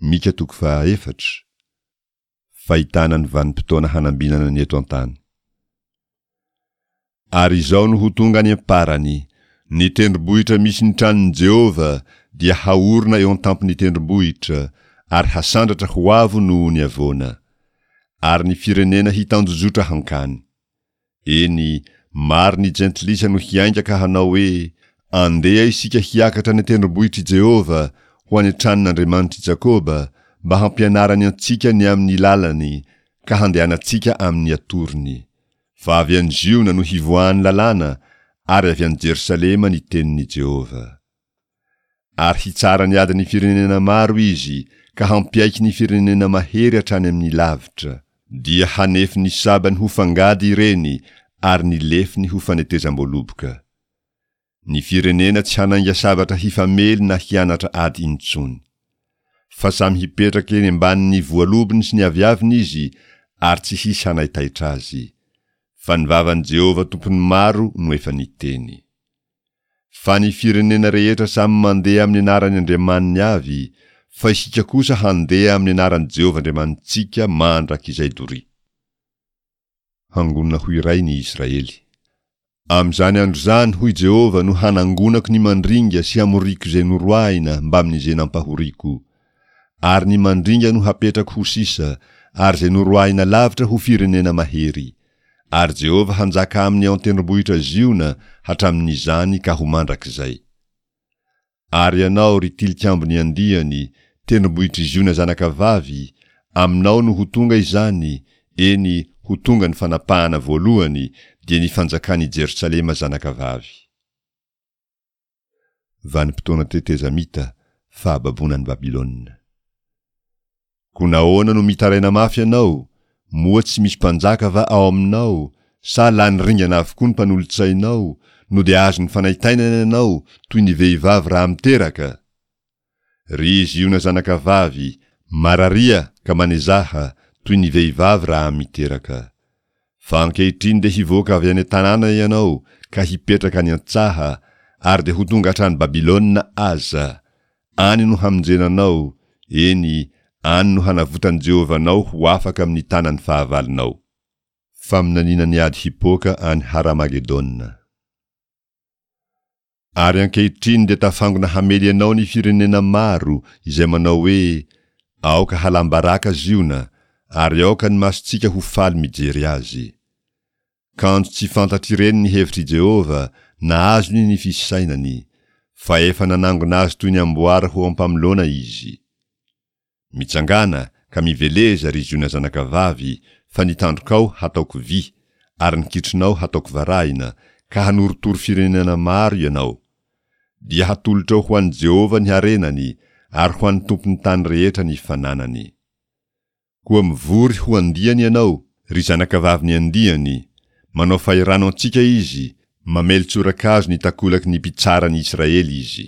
Mika toko fahaefatra, Fahitana ny vanim-potoana hanambinana ny eto an-tany. Ary izao no ho tonga any am-parany, Ny tendrombohitra misy ny tranon'i Jehovah dia haorina eo an-tampon'ny tendrombohitra, ary hasandratra ho avo noho ny havoana. Ary ny firenena hitanjozotra hankany. Eny, maro ny jentilisa no hiainga ka hanao hoe, Andeha isika hiakatra any an-tendrombohitr'i Jehovah, ho any an-tranon'Andriamanitr'i Jakoba, mba hampianarany antsika ny amin'ny lalany, ka handehanantsika amin'ny atorony. Fa avy any Ziona no hivoahan'ny lalàna, ary avy any Jerosalema ny tenin'i Jehovah. Ary hitsara ny adin'ny firenena maro izy, ka hampiaiky ny firenena mahery hatrany amin'ny lavitra. Dia hanefy ny sabany ho fangady ireny, ary ny lefiny ho fanetezam-boaloboka. Ny firenena tsy hanainga sabatra hifamely na hianatra ady intsony. Fa samy hipetraka eny ambanin'ny voalobony sy ny aviaviny izy, ary tsy hisy hanaitaitra azy. Fa ny vavan'i Jehovah Tompon'ny maro no efa niteny. Fa ny firenena rehetra samy mandeha amin'ny anaran'ny andriamaniny avy, fa isika kosa handeha amin'ny anaran'i Jehovah Andriamanitsika mandrakizay doria. Hangonina ho iray ny Israely. Amin'izany andro izany, hoy Jehovah, no hanangonako ny mandringa sy hamoriako izay noroahina mbamin'izay nampahoriako. Ary ny mandringa no hapetrako ho sisa, ary izay noroahina lavitra ho firenena mahery. Ary Jehovah hanjaka aminy ao an-tendrombohitra Ziona hatramin'izany ka ho mandrakizay. Ary ianao, ry tilikambon'ny andiany, tendrombohitr'i Ziona zanakavavy, aminao no ho tonga izany, eny, ho tonga ny fanapahana voalohany, dia ny fanjakan'i Jerosalema zanakavavy. Vanim-potoana tetezamita, fahababoana an'i Babylona. Koa nahoana no mitaraina mafy ianao? Moa tsy misy mpanjaka va ao aminao? Sa lany ringana avokoa ny mpanolotsainao, no dia azon'ny fanaintainana ianao toy ny vehivavy raha miteraka? Ry Ziona zanakavavy, mararia ka manezaha, toy ny vehivavy raha miteraka. Fa ankehitriny dia hivoaka avy any an-tanàna ianao ka hipetraka any an-tsaha, ary dia ho tonga hatrany Babylona aza. Any no hamonjena anao, eny, any no hanavotan'i Jehovah anao ho afaka amin'ny tanan'ny fahavalonao. Faminaniana ny ady hipoaka any Haramagedona. Ary ankehitriny dia tafangona hamely anao ny firenena maro izay manao hoe, Aoka halam-baraka Ziona, ary aoka ny masontsika ho faly mijery azy. Kanjo tsy fantatr'ireny ny hevitr'i Jehovah na azony ny fisainany, fa efa nanangona azy toy ny amboara ho ampamoloana izy. Mitsangàna, ka miveleza, ry Ziona zanakavavy, fa ny tandrokao hataoko vy, ary ny kitronao hataoko varahina, ka hanorotoro firenena maro ianao. Dia hatolotrao ho an'i Jehovah ny harenany, ary ho an'ny Tompon'ny tany rehetra ny fananany. Koa mivory ho andiany ianao, ry zanakavavin'ny andiany, manao fahirano antsika izy, mamely tsorakazo ny takolaky ny mpitsara ny Israely izy.